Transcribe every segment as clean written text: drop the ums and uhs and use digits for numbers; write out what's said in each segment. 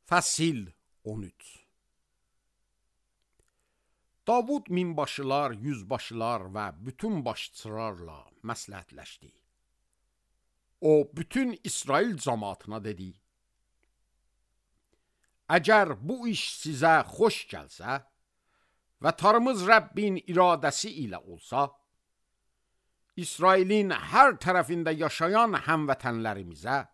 Fəsil 13. Davud minbaşılar, yüzbaşılar və bütün başçılarla məsləhətləşdi. O, bütün İsrail cəmaatına dedi: Əgər bu iş sizə xoş gəlsə və tarımız Rəbbin iradəsi ilə olsa, İsrailin hər tərəfində yaşayan həmvətənlərimizə,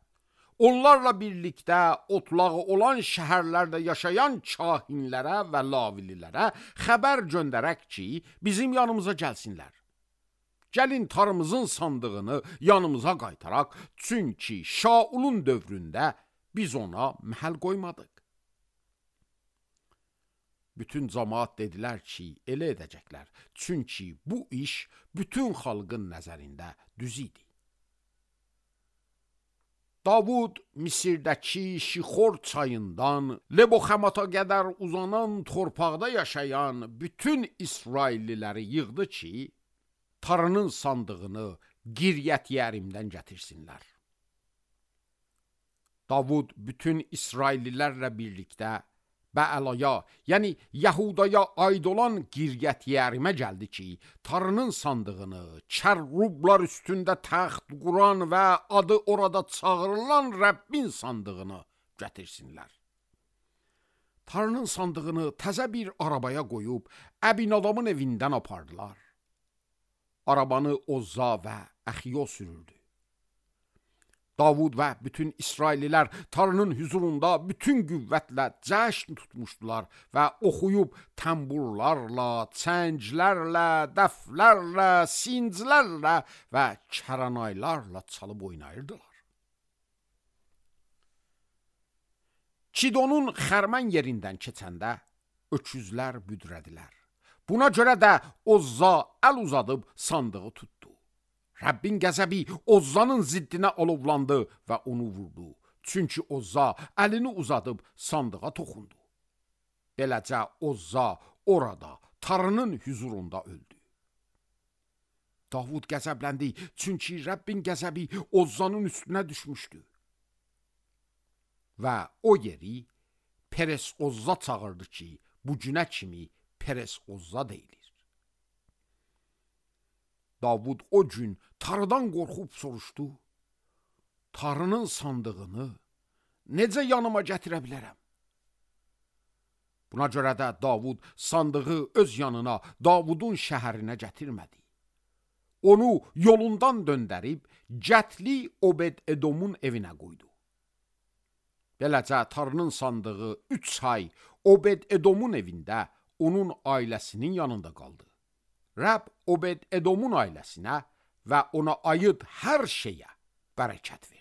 onlarla birlikdə otlağı olan şəhərlərdə yaşayan kahinlərə və lavililərə xəbər göndərək ki, bizim yanımıza gəlsinlər. Gəlin tarımızın sandığını yanımıza qaytaraq, çünki Şaulun dövründə biz ona məhəl qoymadıq. Bütün cəmaat dedilər ki, elə edəcəklər, çünki bu iş bütün xalqın nəzərində düz idi. Davud Misirdəki Şixor çayından Leboxamata qədər uzanan torpaqda yaşayan bütün İsrailliləri yığdı ki, tarının sandığını Qiryət Yeərimdən gətirsinlər. Davud bütün İsraillilərlə birlikdə Bəəlaya, yəni Yəhudaya aid olan Qiryət Yeərimə gəldi ki, tarının sandığını, kərrublar üstündə təxt quran və adı orada çağırılan Rəbbin sandığını gətirsinlər. Tarının sandığını təzə bir arabaya qoyub, Əbinadamın evindən apardılar. Arabanı Ozza və Əxiyo sürürdü. Davud və bütün İsraillilər tarının hüzurunda bütün qüvvətlə cəşn tutmuşdular və oxuyub təmburlarla, çənglərlə, dəflərlə, sinclərlə və kəranaylarla çalıb oynayırdılar. Kidonun xərmən yerindən keçəndə öküzlər büdrədilər. Buna görə də Ozza əl uzadıb sandığı tutdu. Rəbbin qəzəbi Ozzanın ziddinə alovlandı və onu vurdu. Çünki Ozza əlini uzadıb sandığa toxundu. Beləcə Ozza orada, tarının hüzurunda öldü. Davud qəzəbləndi, çünki Rəbbin qəzəbi Ozzanın üstünə düşmüşdü. Və o yeri Peres Ozza çağırdı ki, bu günə kimi Peres Ozza deyilir. Davud o gün tarıdan qorxub soruşdu: Tarının sandığını necə yanıma gətirə bilərəm? Buna görə də Davud sandığı öz yanına, Davudun şəhərinə gətirmədi. Onu yolundan döndərib Cətli Obed-Edomun evinə qoydu. Beləcə tarının sandığı 3 ay Obed-Edomun evində onun ailəsinin yanında qaldı. Rəbb Obed-Edomun ailəsinə və ona aid hər şeyə bərəkət verdi.